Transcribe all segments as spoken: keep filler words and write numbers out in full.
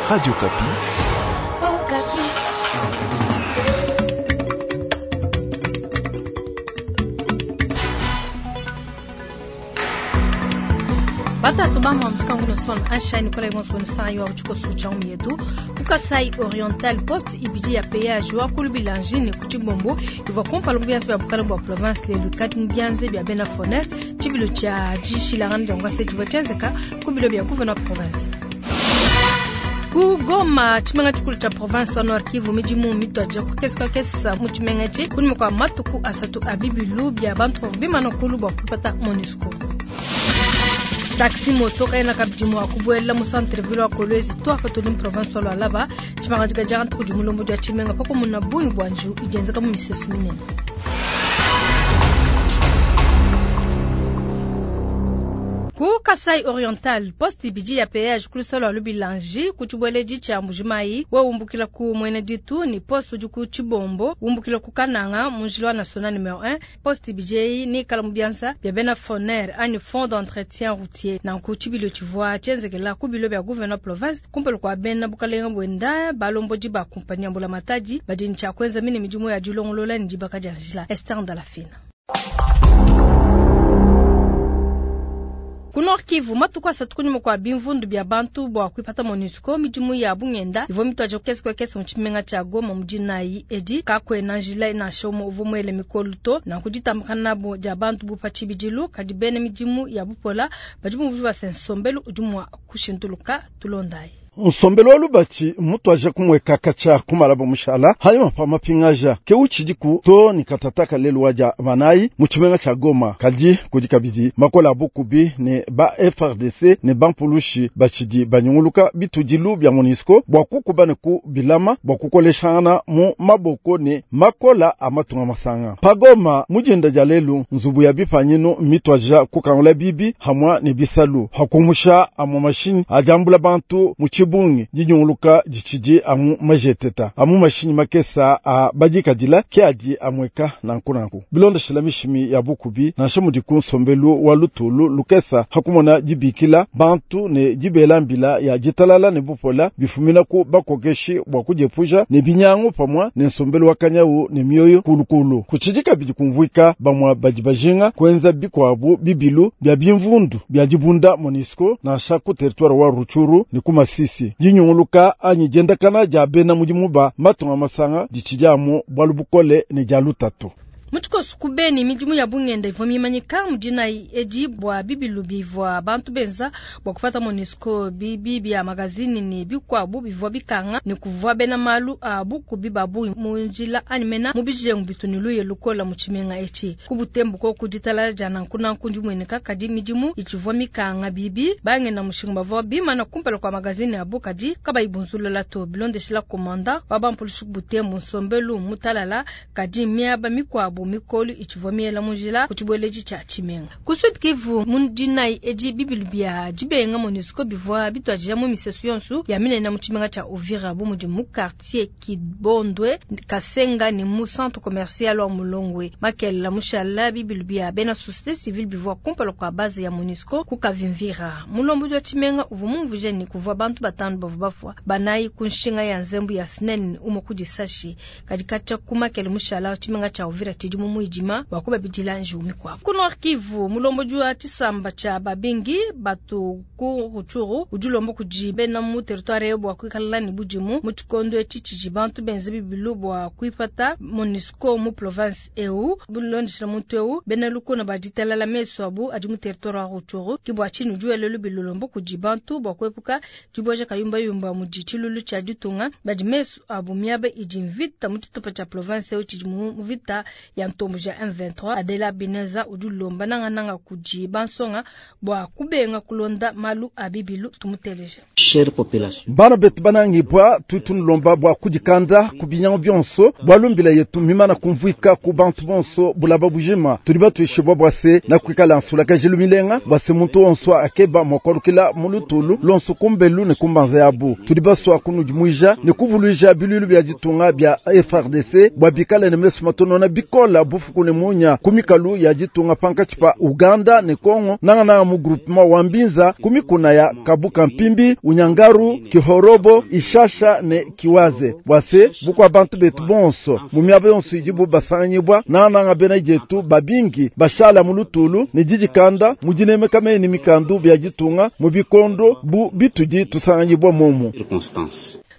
Radio Okapi. Batatu bamwa musikangu na son anshani kola ibonso bonu san yo uchiko sucha umyetu kukasai Oriental Post ibiji ya péage wa kulubilanji ne kuchibombo iva kompala mu bya bukala bwa province lelu kati mu byanze bya bena foner chibilo cha jishilangana jangwa se chiva chenzeka kubilo bya gouverneur province ku Goma tshimenga tshikulu tsha province wa Nord Kivu midimu mitwaje kukeseka kesa mu tshimenga tshi kunyuma kwa matuku asatu a bibilu bya bantu bavua bimana kulu bua kupata MONUSCO taxi moto kaena kabidi mua kubuela mu centre ville wa Kolwezi to apa tuli mu province wa Lualaba tshipangadika dia ntuku di mulombo dia tshimenga pakumuna bungi bua njiwu idi yenzeka mu misesu minene. Ku Kasai Oriental poste ibidi ya péage kulusalo lubilanji ku tshibueledi tshia Mbujimayi we umbukila ku mwene ditu ni poste udi ku Tshibombo umbukila ku Kananga mu njila wa national numero un poste ibidi eyi ni ikala mu bianza bia bena FONER ani fond d'entretien routier nanku tshibilo tshivua tshienzekela ku bilo bia gouverneur province kumpala kua bena bukalenga buenda balombodi ba kumpanya mbula matadi badi ne tshia kuenza mine midimu ya dilongolola ne dibaka dia njila Esther Ndalafina. Ku Nord Kivu matuku asatu kunyuma kua bimvundu bia bantu bua kuipata MONUSCO midimu ya bungenda ivua mituaje kukesi kesi mu tshimenga tshia Goma mu dinayi edi kakuena njila nansha umue uvua muele mikolu to nanku ditambakana nabo dia bantu bu pa tshibidilu kadi bena midimu ya bupola badi bumvua base nsombelu udi mua kushintuluka tulondayi. Nsombelu wa lubatshi mutwaje kumweka kacha kumalabo mushala hanyuma pa mapingaja ke uchidiku to ni katataka lelu waja banayi mu tshimenga tsha Goma kadi kudi kabidi makola abukubi ne ba F R D C ne bampulushi bachidi banyunguluka bitudilu bya MONUSCO bwa kukuba ne ku bilama bwa kukoleshana mu maboko ne makola amatunga masanga pa Goma mujenda ja lelu nzubu ya bipanyinu mitwaja kukangula bibi hamwa ne bisalu hakumusha amu mashini ajambula bantu mu bungi dinyunguluka ditshidi amu majeteta amu mashinyi makesa a badikadila ke adi amweka nanku nanku bilondeshela mishimi ya bukubi nansha mudi ku nsombelu wa lutulu lukesa hakumona dibikila bantu ne dibela mbila ya ditalala ne bupola bifumina ku bakokeshi bua kudiepuja ne binyangu pamwa ne nsombelu wa kanyawu ne mioyo kulukulu kutshidi kabidi kumvuika bamwa badi bajinga kuenza bikuabu bibilu bia bimvundu bia dibunda MONUSCO nansha ku territoire wa Rutshuru ne ku Masisi dinyunguluka anyi diendakana dia bena mudimu ba matunga masanga ditshidi amu bualu bukole ne dia lutatu. Mutshikosu ku Beni midimu ya bungenda ivua mimanyika mu dinayi edi bua bibilu bivua bantu benza bua kupata MONUSCO bibi bia magazini ne bikuabu bivua bikanga ne kuvua bena malu a bukubi ba bungi mu njila anyi mena mu bijengu bitu ne luye lukola mu tshimenga etshi. Ku Butembo koku ditalala dia nankunanku ndimueneka kadi midimu itshivua mikanga bibi bangenda mushinga bavua bimana kumpala kua magazini abu kadi kabayi bunzulula to bilondeshela komanda wa bampulushi ku Butembo nsombelu mutalala kadi miaba mikuabu mikolu itshivua miela mu njila ku tshibueledi tshia tshimenga. Ku Sud Kivu mu dinayi edi bibilu bia dibenga MONUSCO bivua bituadija mu misesu yonso ya minene mu tshimenga tshia Uvira bu mudi mu quartier Kibondwe Kasenga ne mu centre commercial wa Mulongwe. Makelela mushala bibilu bia bena société civile bivua kumpala kua base ya MONUSCO ku Kavimvira. Mulombo wa tshimenga uvua mumvuje ne kuvua bantu batanu bavua bafua banayi ku nshinga ya nzembu ya SNEL umue ku disashi kadi katshia ku makele mushala tshimenga tshia Uvira tshidi mu muidima wa kubabidila njiwu mikuabu. Ku Nord Kivu mulombo wa tshisamba tshia babingi batu ku Rutshuru udi ulomba kudi bena mu territoire bua kuikala ne budimu mu tshikondo etshi tshidi bantu benze bibilu bua kuipata MONUSCO mu province eu bulondeshela muntu eu bena lukuna baditalala mesu abu adi mu territoire wa Rutshuru ki bua tshinu udi wela lubilu lomba kudi bantu bua kuepuka dibueja kayumbayumba mu tshilulu tshia ditunga badi mesu abu miaba idi mvita mu tshitupa tshia province eu tshidi mu mvita ya ntombo ja M vingt-trois Adela Bineza udi ulomba nangananga kudi bansonga bua kubenga kulonda malu a bibilu tumuteleje. Chère population. Bana betu banangibwa tutunulomba bua kudikanda ku binyangu bionso bua lumbila yetu mimana kumvuika ku bantu bonso bulaba bujima tudi batuishibwa bua se na kuikala nsulakajilu milenga bua se muntu wonso akeba mua kualukila mu lutulu lonso kumbelu ne kumbanza yabu tudi basua kunudimuija ne kuvuluija bilulu bia ditunga bia F R D C bua bikale ne mesu matonona bikole bikola bufuku ne munya ku mikalu ya ditunga pankatshi pa Uganda ne Kongo nangananga mu groupement wa Mbinza ku mikuna ya Kabuka Mpimbi, Unyangaru, Kihorobo, Ishasha ne Kiwaze. Bwase bukwa bantu betu bonso mu miaba yonso idibu basanganyibwa nangananga bena dietu babingi bashala mu lutulu ne didikanda mu dinemeka mene mikandu bya ditunga mu bikondo bu bitudi tusanganyibwa momu.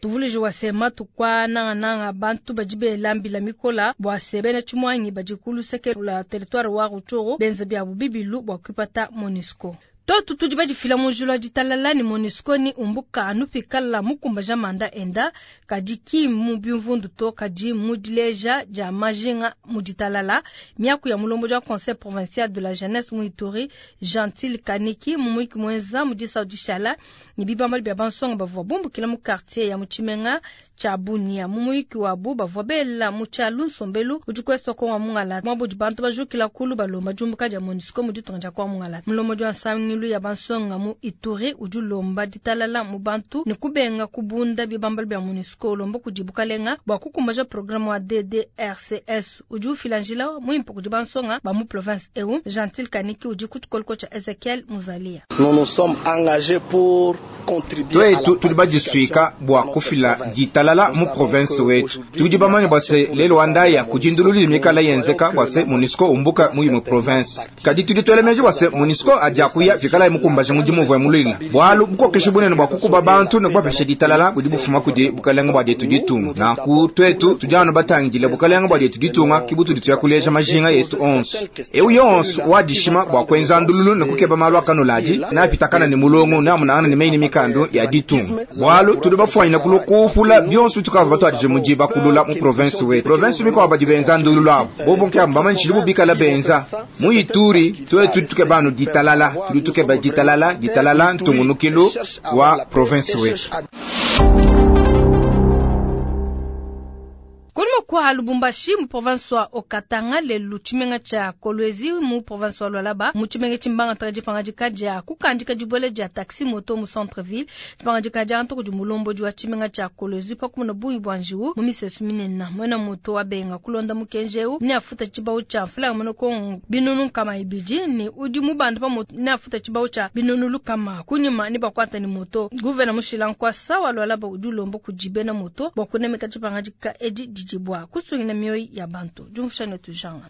Tuvulije wasema tukwa nanga nanga bantu bajibe lambila mikola bwase bena chimwangi bajikulu seke la territoire wa Rutshuru benze bya bubibilu bwa kupata MONUSCO. Toto tudi bajifila mujulu ditalala ni MONUSCO ni umbuka anupikala mukumba jamanda enda kadi mu bimvundu to kadi mudileja ja majinga muditalala miaku ya mulombo ja conseil provincial de la jeunesse mu Ituri Gentil Kaniki mumuiki mwenza mudisa udishala ni bibamba bya bansonga bavua bumbukila mu quartier ya muchimenga cha Bunia mumuiki wabu bavua bela muchalu nsombelu udikweswa kwa mungala mwabudi bantu bajukila kulu balomba jumbuka ja MONUSCO muditonga kwa mungala mulombo ja nsangilu ya bansonga mu Ituri ujulomba ditalala mu bantu ni kubenga kubunda bibamba bya MONUSCO lomba kudibukalenga bwa kukumbaja programme wa D D R C S ujufilanjila muimpo kudi bansonga ba mu province eu Gentil Kaniki udi kutukolko cha Ezekiel Muzalia. Nous nous sommes engagés pour contribuer à la tudi bajisuika bwa kufila ditalala mu province wetu tudi bamanya bwase lelo andaya kujindululi mikala yenzeka bwase MONUSCO umbuka mu mu province kadi tudi twelemeje bwase MONUSCO ajakuya vikala mukumbaje mudimu vwa mulina bwalu bukokeshe bunene bwa kukuba bantu ne bwapeshe ditalala budi bufuma kudi bukalenga bwa dietu ditunga na ku twetu tujano batangile bukalenga bwa dietu ditunga kibutu ditu yakuleja majinga yetu onso eu yonso wadishima bwa kwenza ndululu ne kukeba malu akanulaji na pitakana ne mulongo na munana ne meini mikando ya ditunga bwalu tudi bafwanyina kulukufula byonso tukava batwadije mujiba kulula mu province wetu province miko abadi benza ndululu abo bobonke ambamanishili bubikala benza mu Ituri twetu tukebanu ditalala tudi tukeba ditalala ditalala ntungunukilu wa province wetu. Kwa Lubumbashi mu province wa Okatanga lelu chimenga cha Kolwezi mu province wa Lualaba mu chimenga chimbanga traji pangajika ja kukandika jibwele ja taxi moto mu centre ville pangajika ja ntoko ju mulombo ju chimenga cha Kolwezi pa kumuna buyi bwanjiu mu misesu minena mwena moto wa benga kulonda mukenjeu ni afuta chibau cha mfula mono kongo binunu kama ibiji ni udi mubanda pa moto ni afuta chibau cha binunu lukama kunyuma ni bakwata ni moto guvena mushila nkwasa wa Lualaba udulombo kujibena moto bakunemeka chipangajika edi dijibwa kusungina mioyo ya bantu jumfushane tujanga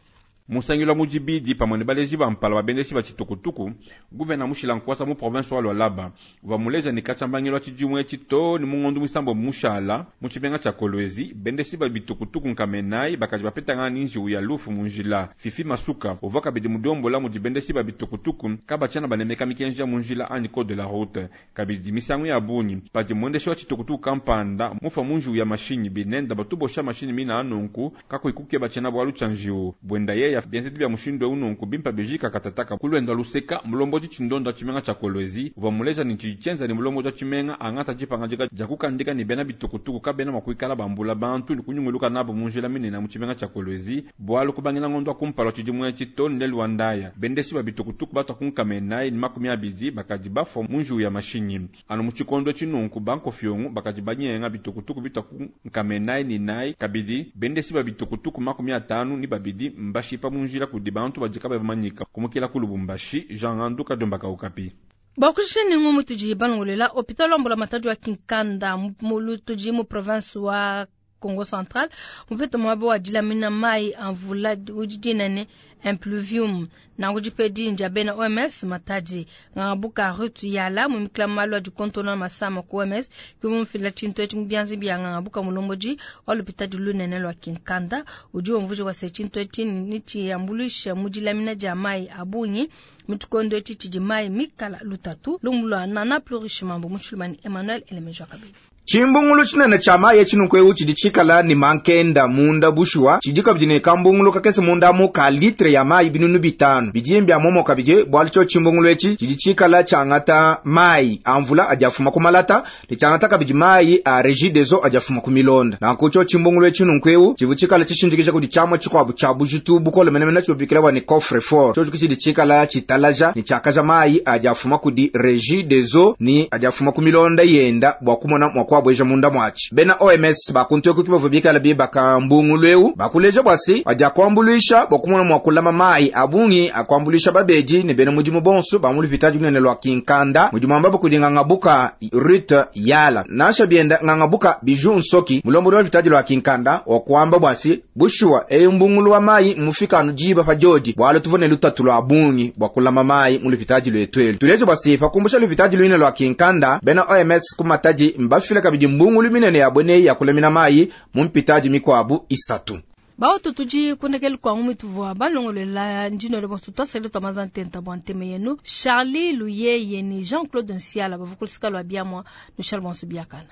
musangilo mujibidi pamwe ne baleji bampala babendeshi ba chitukutuku guvena mushila nkwasa mu province wa Lualaba vamuleja ni kachambangilo chijumwe chito ni mungondu musambo mushala mu chibenga cha Kolwezi bendeshi ba bitukutuku nkamenai bakaji bapetanga ninji ya lufu munjila Fifi Masuka ovaka bidi mudombola mujibendeshi ba bitukutuku kabachana banemeka mikenja munjila ani code de la route kabidi misangu ya bunyi padi mwendeshi wa chitukutuku kampanda mufa munju ya mashinyi binenda batubosha mashinyi mina anunku kakuikuke bachana bwalu chanjiu bwenda yeya bienzedi bya mushindo ununku bimpa bejika katataka kulwenda luseka mulomboji chindonda chimenga cha Kolwezi vamuleja ni chichenza ni mulomboji chimenga angata jipangajika jakukandika ni bena bitukutuku kabena makuikala bambula bantu ni kunyunguluka nabo munjila minena mu chimenga cha Kolwezi bwalu kubangila ngondo akumpala chijimwe chitoni lelwandaya bendeshi ba bitukutuku batakunkamenai ni makumi abidi bakaji bafo munju ya mashinyi anu muchikondo chinunku banko fyongu bakaji banyenga bitukutuku bitakunkamenai ni nai kabidi bendeshi ba bitukutuku makumi atanu ni babidi mbashipa munjila kudi bantu bajika bamanyika kumukila ku Lubumbashi Jean Anduka Dombaka Okapi. Bakushini ngumu tuji bangolela hopital wambola matatu wa Kinkanda mulu tuji mu province wa Congo Central mupete mwabo wa dilamina mai anvula ujidinane impluvium na ngujipedi njabena O M S Matadi ngabuka rutu yala mumikla malwa du kontona masama ku O M S kumumfila chinto echi mbianzi bia ngabuka mulomboji wa lopita du lunene lwa Kinkanda uji omvuje wa sechinto echi nichi ambulisha mudilamina jamai abunyi mutukondo echi chijimai mikala lutatu lumulwa nana plurichement muchulmani Emmanuel Elemejo Kabili. Chimbungulu chinene cha maye chinukwe chidi chikala ni mankenda munda bushuwa chidika bidine kambungulu kakese munda mu ka litre litre ya mayi binunu bitanu. Bidi mbia momo kabidi bualu tshio tshimbungulu etshi tshidi tshikala tshiangata mayi a mvula adi afuma ku malata ne tshiangata kabidi mayi a Regie des eaux adi afuma ku milonda. Nanku tshio tshimbungulu etshi nunku tshivua tshikala tshishindikija kudi tshiamua tshikuabu tshia bujitu bukole menemene tshibikila bua ne coffre fort. Tshio tshidi tshikala tshitalaja ne tshiakaja mayi adi afuma kudi Regie des eaux ni adi afuma ku milonda yenda bua kumona mua kuabueja munda muatshi. Bena O M S bakuntu eku bavua bikala bibaka mbungulu eu bakuleja bua se adi akuambuluisha bua kumona mua kulama mayi a bungi akuambuluisha babedi ne bena mudimu bonso ba mu lupitadi lunene lua Kinkanda mudimu amba kudi ngangabuka Ruth Yala nansha bienda ngangabuka Biju Nsoki mulombodi wa lupitadi lua Kinkanda wa kuamba bua se bushuwa eyu mbungulu wa mayi mufika anu diba pa diodi bualu tuvua ne lutatu lua bungi bua kulama mayi mu lupitadi luetu elu. Tuleje bua se pakumbusha lupitadi lunene lua Kinkanda bena O M S ku Matadi mbafile kabidi mbungulu minene ya bweneyi ya kulamina mayi mu mpitadi mikuabu isatu. Baoto tudi kundekeli kwangu mituvua balongolola ndino le bonso twasele twamaza ntenta bua nteme yenu Charlie Luyeye ni Jean-Claude Nsiala bavukulisika lwa biamwa no Charles bonso biakana.